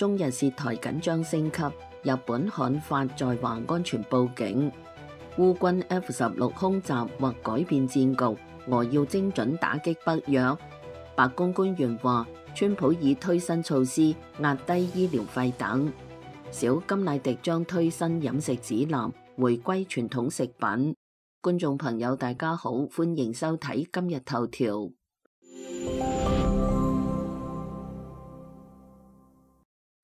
中日涉台緊張升級，日本刊發在華安全報警。烏軍 F-16空襲或改變戰局，俄要精準打擊北約。白宮官員話，川普已推新措施壓低醫療費等。小甘迺迪將推新飲食指南，回歸傳統食品。觀眾朋友大家好，歡迎收睇今日頭條。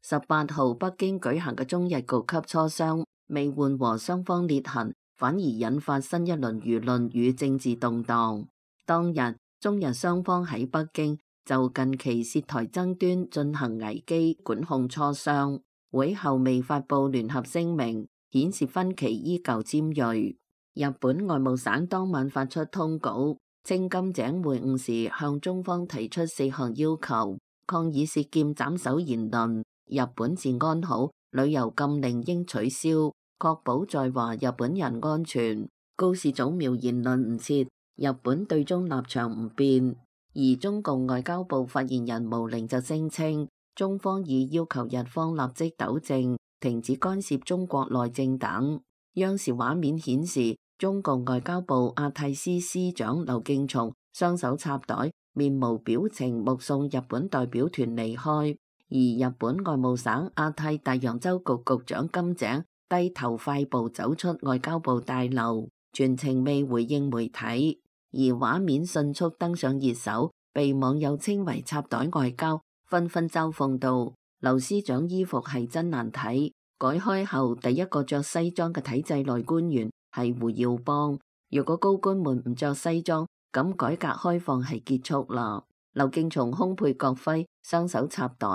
18號北京舉行嘅中日局級磋商未緩和雙方裂痕，反而引發新一輪輿論與政治動盪。當日中日雙方喺北京就近期涉台爭端進行危機管控磋商，會後未發布聯合聲明，顯示分歧依舊尖銳。日本外務省當晚發出通稿，稱金井會晤時向中方提出4項要求，抗議涉劍斬首言論，日本治安好，旅遊禁令應取消，確保在華日本人安全。高市早苗言論唔撤，日本對中立場唔變。而中共外交部發言人毛寧就聲稱，中方已要求日方立即糾正，停止干涉中國內政等。央視畫面顯示，中共外交部亞太司司長劉敬松雙手插袋，面無表情目送日本代表團離開。而日本外務省亞太大洋洲局局長金井低頭快步走出外交部大樓，全程未回應媒體。而畫面迅速登上熱搜，被網友稱為插袋外交，紛紛嘲諷道：劉司長衣服係真難睇。改開後第一個着西裝嘅體制內官員係胡耀邦。如果高官們唔着西裝，咁改革開放係結束啦。劉敬松胸佩國徽，雙手插袋，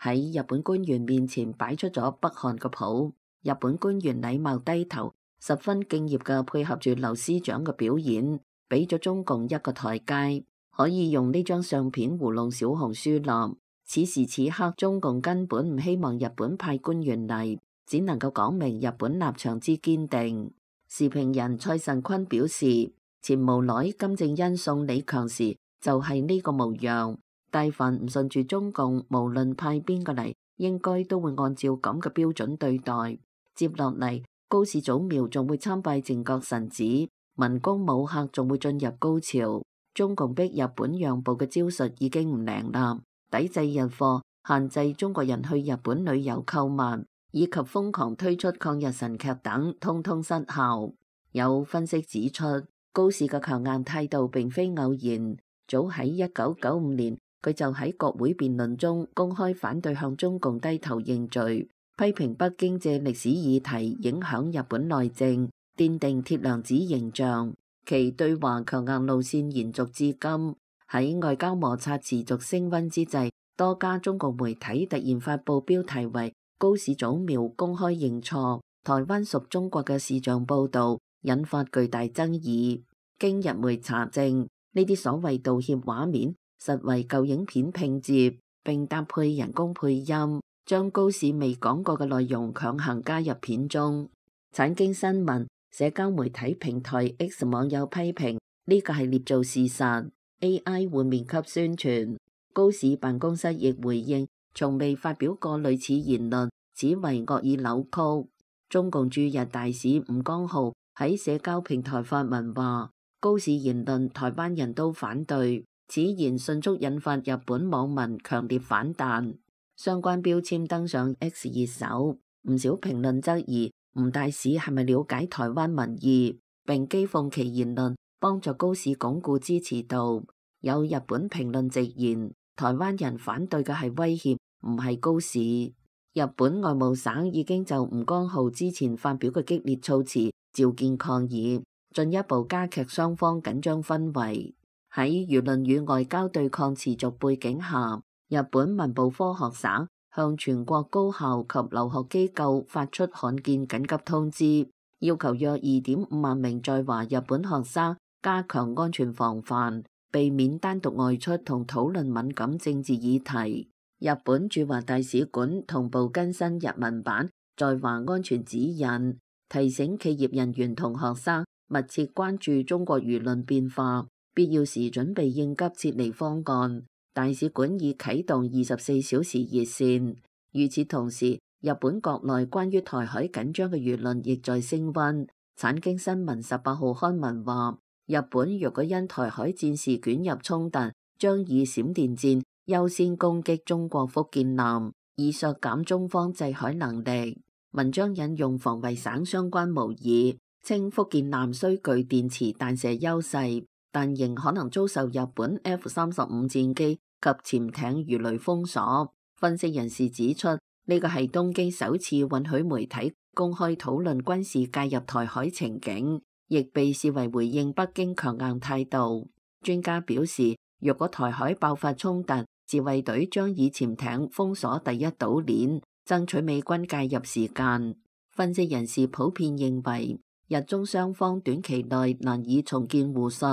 喺日本官員面前擺出咗北韓嘅譜。日本官員禮貌低頭，十分敬業嘅配合住劉司長嘅表演，俾咗中共一個台階，可以用呢張相片糊弄小紅書啦。此時此刻，中共根本唔希望日本派官員嚟，只能夠講明日本立場之堅定。時評人蔡慎坤表示，前無奈金正恩送李強時就係呢個模樣，但凡唔順住中共，無論派邊個嚟，應該都會按照咁嘅標準對待。接落嚟，高市早苗仲會參拜靖國神寺，文攻武嚇仲會進入高潮。中共逼日本讓步嘅招數已經唔靈啦，抵制日貨、限制中國人去日本旅遊購物，以及瘋狂推出抗日神劇等，通通失效。有分析指出，高市嘅強硬態度並非偶然，早喺1995年，佢就喺國會辯論中公開反對向中共低頭認罪，批評北京借歷史議題影響日本內政，奠定鐵娘子形象。其對華強硬路線延續至今。喺外交摩擦持續升溫之際，多家中國媒體突然發布標題為高市早苗公開認錯，台灣屬中國嘅視像報導，引發巨大爭議。經日媒查證，呢啲所謂道歉畫面實為舊影片拼接，並搭配人工配音，將高市未講過嘅內容強行加入片中。產經新聞社交媒體平台 X 網友批評呢個係捏造事實 ，AI 換面給宣傳。高市辦公室亦回應，從未發表過類似言論，此為惡意扭曲。中共駐日大使吳江浩喺社交平台發文話，高市言論台灣人都反對，此言迅速引發日本網民強烈反彈，相關標籤登上 X 熱搜，唔少評論質疑吳大使係咪了解台灣民意，並譏諷其言論幫助高市鞏固支持度。有日本評論直言，台灣人反對嘅係威脅，唔係高市。日本外務省已經就吳江浩之前發表嘅激烈措辭召見抗議，進一步加劇雙方緊張氛圍。喺輿論與外交對抗持續背景下，日本文部科學省向全國高校及留學機構發出罕見緊急通知，要求約2.5萬名在華日本學生加強安全防範，避免單獨外出同討論敏感政治議題。日本駐華大使館同步更新日文版在華安全指引，提醒企業人員同學生密切關注中國輿論變化，必要時準備應急撤離方案。大使館已啟動24小時熱線，與此同時，日本國內關於台海緊張嘅輿論亦在升溫。產經新聞18號刊文話，日本若果因台海戰事捲入衝突，將以閃電戰優先攻擊中國福建艦，以削減中方制海能力。文章引用防衛省相關模擬，稱福建艦雖具電磁彈射優勢，但仍可能遭受日本 F-35戰機及潛艇魚雷封鎖。分析人士指出，呢個係東京首次允許媒體公開討論軍事介入台海情景，亦被視為回應北京強硬態度。專家表示，若果台海爆發衝突，自衛隊將以潛艇封鎖第一島鏈，爭取美軍介入時間。分析人士普遍認為，日中雙方短期內難以重建互信。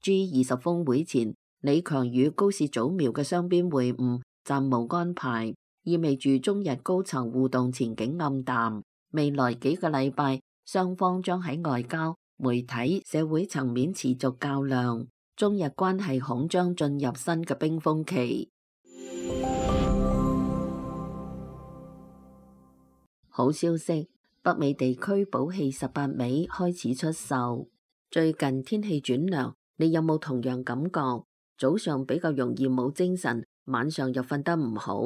G20峰會前，李強與高市早苗嘅雙邊會晤暫無安排，意味住中日高層互動前景暗淡。未來幾個禮拜，雙方將喺外交、媒體、社會層面持續較量，中日關係恐將進入新嘅冰封期。好消息，北美地區寶氣18味開始出售。最近天氣轉涼，你有冇同樣感覺？早上比較容易冇精神，晚上又瞓得唔好。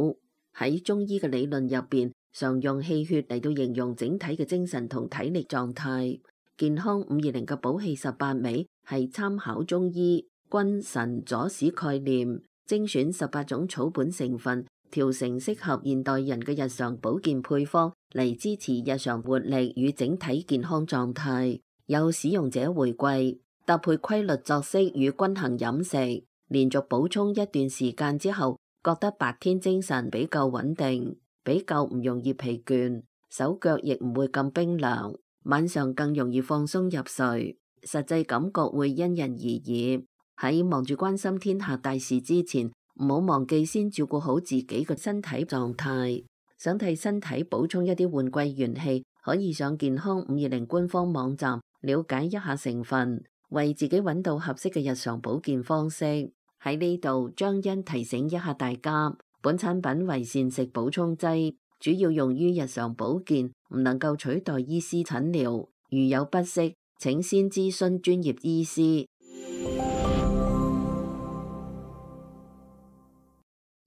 喺中醫嘅理論入邊，常用氣血嚟到形容整體嘅精神同體力狀態。健康520嘅寶氣18味係參考中醫君臣佐使概念，精選18種草本成分，調成適合現代人嘅日常保健配方嚟支持日常活力與整體健康狀態。有使用者回饋，搭配規律作息與均衡飲食，連續補充一段時間之後，覺得白天精神比較穩定，比較唔容易疲倦，手腳亦唔會咁冰涼，晚上更容易放鬆入睡。實際感覺會因人而異。喺忙住關心天下大事之前，唔好忘記先照顧好自己嘅身體狀態。想替身體補充一啲換季元氣，可以上健康520官方網站了解一下成分，為自己揾到合適嘅日常保健方式。喺呢度，張欣提醒一下大家，本產品為膳食補充劑，主要用於日常保健，唔能夠取代醫師診療。如有不適，請先諮詢專業醫師。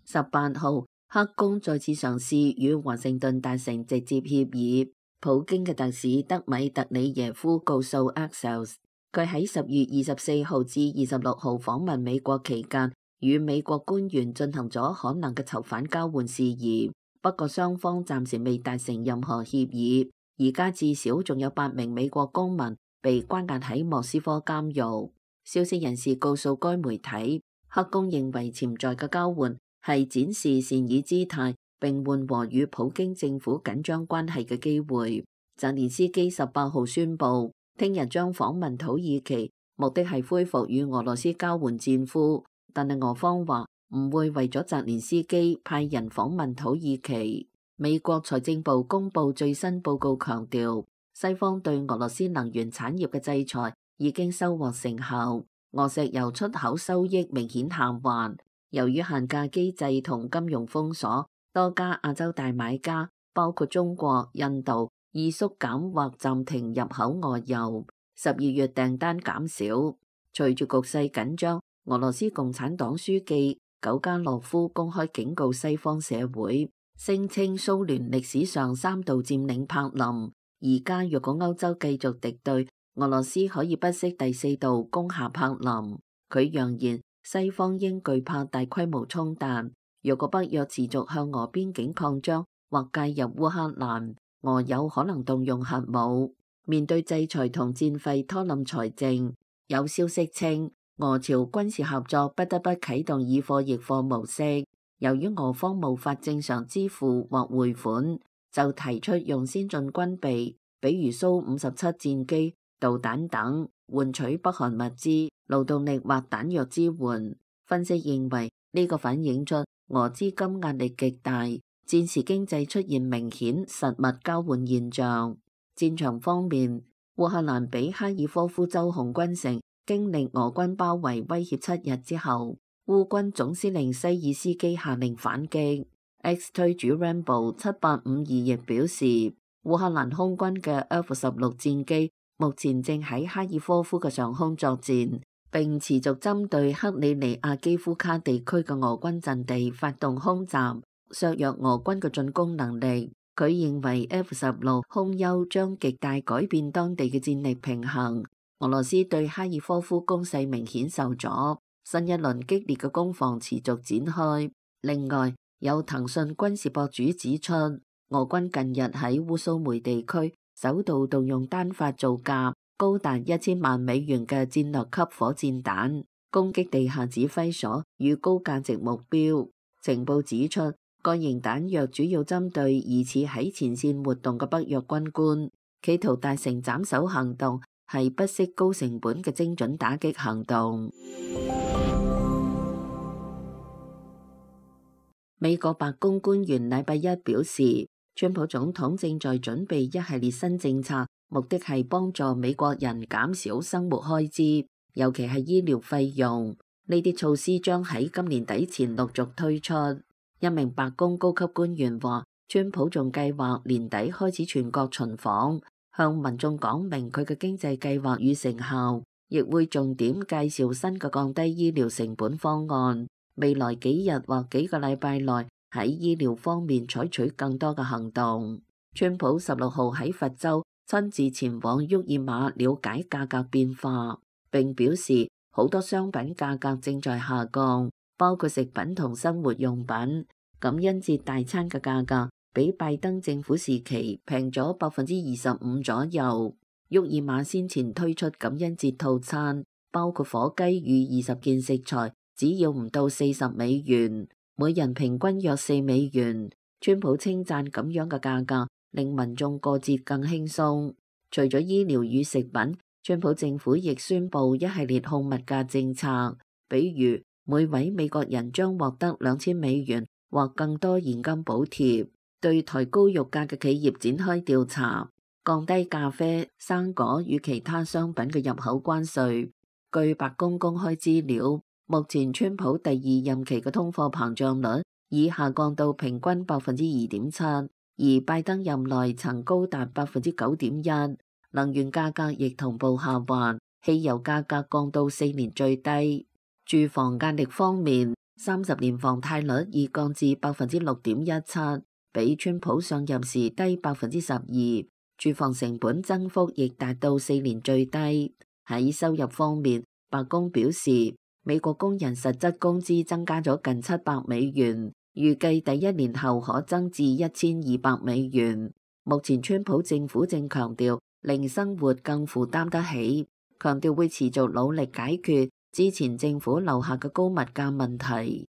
18號，黑宮再次嘗試與華盛頓達成直接協議。普京嘅特使德米特里耶夫告訴 Axios， 佢喺10月24號至26號訪問美國期間，與美國官員進行咗可能嘅囚犯交換事宜。不過雙方暫時未達成任何協議。而家至少仲有8名美國公民被關押喺莫斯科監獄。消息人士告訴該媒體，黑宮認為潛在嘅交換係展示善意姿態，並緩和與普京政府緊張關係嘅機會。澤連斯基18號宣布，聽日將訪問土耳其，目的係恢復與俄羅斯交換戰俘。但係俄方話唔會為咗澤連斯基派人訪問土耳其。美國財政部公布最新報告，強調西方對俄羅斯能源產業嘅制裁已經收穫成效，俄石油出口收益明顯下滑。由於限價機制同金融封鎖，多家亞洲大買家，包括中國、印度，已縮減或暫停入口俄油。12月訂單減少。隨住局勢緊張，俄羅斯共產黨書記久加諾夫公開警告西方社會，聲稱蘇聯歷史上3度佔領柏林，而家若果歐洲繼續敵對，俄羅斯可以不惜第4度攻下柏林。佢揚言，西方應懼怕大規模衝突，若果北約持續向俄邊境擴張或介入烏克蘭，俄有可能動用核武。面對制裁同戰費拖冧財政，有消息稱俄朝軍事合作不得不啟動以貨易貨模式。由於俄方無法正常支付或匯款，就提出用先進軍備，比如蘇57戰機、導彈等，換取北韓物資、勞動力或彈藥支援。分析認為，呢個反映出俄資金壓力極大，戰時經濟出現明顯實物交換現象。戰場方面，烏克蘭比哈爾科夫州紅軍城經歷俄軍包圍威脅7日之後，烏軍總司令西爾斯基下令反擊。X 推主 Rambo 7852亦表示，烏克蘭空軍嘅 F-16戰機目前正喺哈爾科夫嘅上空作戰，並持續針對克里尼亞基夫卡地區嘅俄軍陣地發動空襲，削弱俄軍嘅進攻能力。佢認為 F-16空優將極大改變當地嘅戰力平衡。俄羅斯對哈爾科夫攻勢明顯受阻，新一輪激烈嘅攻防持續展開。另外，有騰訊軍事博主指出，俄軍近日喺烏蘇梅地區首度動用單發造價高達1000萬美元嘅戰略級火箭彈，攻擊地下指揮所與高價值目標。情報指出，該型彈藥主要針對疑似喺前線活動嘅北約軍官，企圖達成斬首行動，係不惜高成本嘅精準打擊行動。美國白宮官員禮拜一表示，川普總統正在準備一系列新政策，目的係幫助美國人減少生活開支，尤其係醫療費用。呢啲措施將喺今年底前陸續推出。一名白宮高級官員話，川普仲計劃年底開始全國巡訪，向民眾講明佢嘅經濟計劃與成效，亦會重點介紹新嘅降低醫療成本方案。未來幾日或幾個禮拜內喺醫療方面採取更多嘅行動。川普16號喺佛州親自前往沃爾瑪了解價格變化，並表示好多商品價格正在下降，包括食品同生活用品。感恩節大餐嘅價格比拜登政府時期平咗25%左右。沃爾瑪先前推出感恩節套餐，包括火雞與20件食材，只要唔到40美元，每人平均約4美元。川普稱讚咁樣嘅價格令民眾過節更輕鬆。除咗醫療與食品，川普政府亦宣布一系列控物價政策，比如每位美國人將獲得2000美元或更多現金補貼，對抬高肉價嘅企業展開調查，降低咖啡、生果與其他商品嘅入口關稅。據白宮公開資料，目前川普第2任期嘅通貨膨脹率已下降到平均2.7%，而拜登任內曾高達9.1%。能源價格亦同步下滑，汽油價格降到4年最低。住房壓力方面，30年房貸率已降至6.17%，比川普上任時低12%。住房成本增幅亦達到4年最低。喺收入方面，白宮表示，美國工人實質工資增加咗近700美元，預計第1年後可增至1200美元。目前川普政府正強調令生活更負擔得起，強調會持續努力解決之前政府留下嘅高物價問題。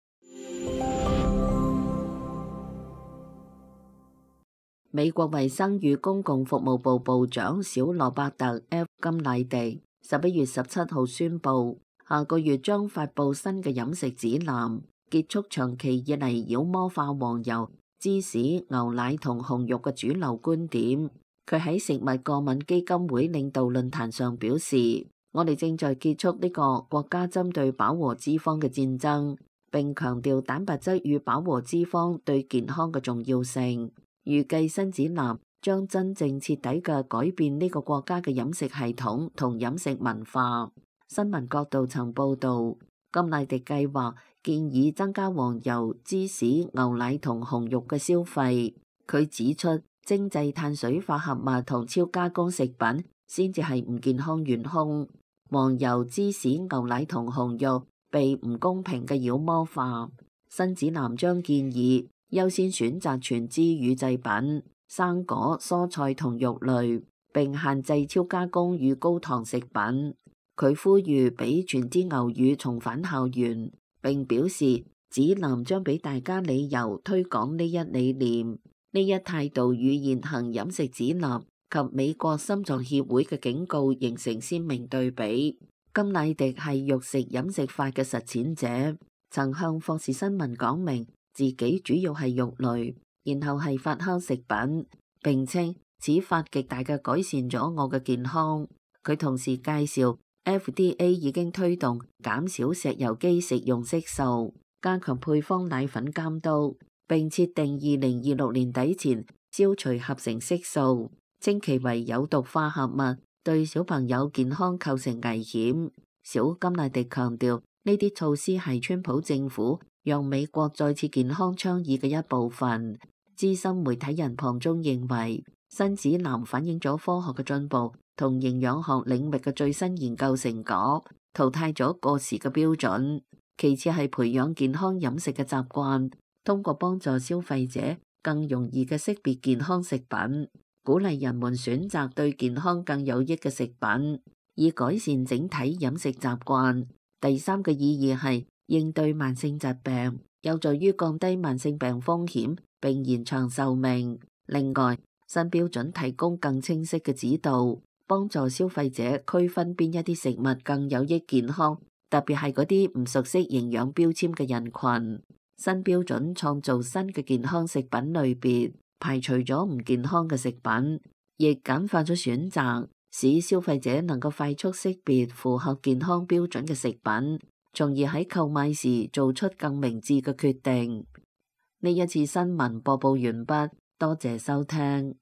美國衛生與公共服務部部長小羅伯特 F 甘迺迪11月17號宣布，下個月將發布新嘅飲食指南，結束長期以嚟妖魔化黃油、芝士、牛奶同紅肉嘅主流觀點。佢喺食物過敏基金會領導論壇上表示，我哋正在結束呢個國家針對飽和脂肪嘅戰爭，並強調蛋白質與飽和脂肪對健康嘅重要性。預計新指南將真正徹底嘅改變呢個國家嘅飲食系統同飲食文化。新聞角度曾報導，甘迺迪計劃建議增加黃油、芝士、牛奶同紅肉嘅消費。佢指出，精製碳水化合物同超加工食品先至係唔健康元兇。黃油、芝士、牛奶同紅肉被唔公平嘅妖魔化。新指南將建議優先選擇全脂乳製品、生果、蔬菜同肉類，並限制超加工與高糖食品。佢呼籲俾全脂牛乳重返校園，並表示指南將俾大家理由推廣呢一理念。呢一態度與現行飲食指南及美國心臟協會嘅警告形成鮮明對比。甘迺迪係肉食飲食法嘅實踐者，曾向霍士新聞講明自己主要係肉類，然後係發酵食品，並稱此法極大嘅改善咗我嘅健康。佢同時介紹 FDA 已經推動減少石油基食用色素，加強配方奶粉監督。並設定2026年底前消除合成色素，稱其為有毒化合物，對小朋友健康構成危險。小甘迺迪強調，呢啲措施係川普政府讓美國再次健康倡議嘅一部分。資深媒體人龐中認為，新指南反映咗科學嘅進步同營養學領域嘅最新研究成果，淘汰咗過時嘅標準。其次係培養健康飲食嘅習慣，通過幫助消費者更容易嘅識別健康食品，鼓勵人們選擇對健康更有益嘅食品，以改善整體飲食習慣。第三個意義係應對慢性疾病，有助於降低慢性病風險並延長壽命。另外，新標準提供更清晰嘅指導，幫助消費者區分邊一啲食物更有益健康，特別係嗰啲唔熟悉營養標籤嘅人群。新標準創造新嘅健康食品類別，排除咗唔健康嘅食品，亦簡化咗選擇，使消費者能夠快速識別符合健康標準嘅食品，從而喺購買時做出更明智嘅決定。呢一次新聞播報完畢，多謝收聽。